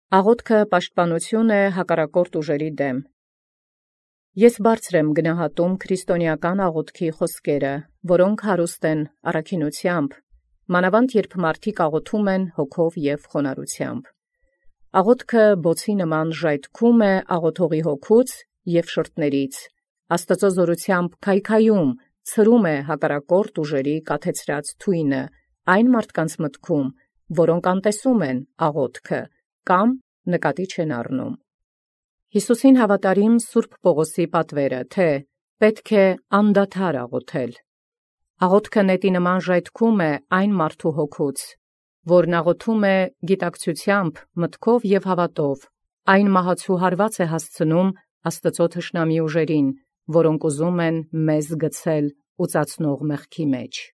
Աղոթքը պաշտպանություն է հակառակորդ ուժերի դեմ։ Ես բարձր եմ գնահատում քրիստոնեական աղոթքի խոսքերը, որոնք հարուստ են առաքինութեամբ, մանավանդ երբ մարդիկ աղոթում են հոգով և խոնարհությամբ։ Աղոթքը բոցի նման ժայթքում է աղոթողի հոգուց և շրթներից, Աստծո զորությամբ քայքայում, ցրում է հակառակորդ ուժերի կաթեցրած թույնը, այն մարդկանց մտքում, որոնք անտեսում են աղոթքը, կամ նկատի չեն առնում։ Յիսուսին հավատարիմ Սուրբ Պողոսի պատվերը, թե պետք է անդադար աղոթել։ Աղոթքը նետի նման ժայթքում է այն մարդու հոգուց, որն աղոթում է գիտակցությամբ, մտքով և հավատով, այն մահացու հարված է հասցնում Աստծո թշնամի ուժերին, որոնք ուզում են մեզ գցել ուծացնող մեղքի մեջ։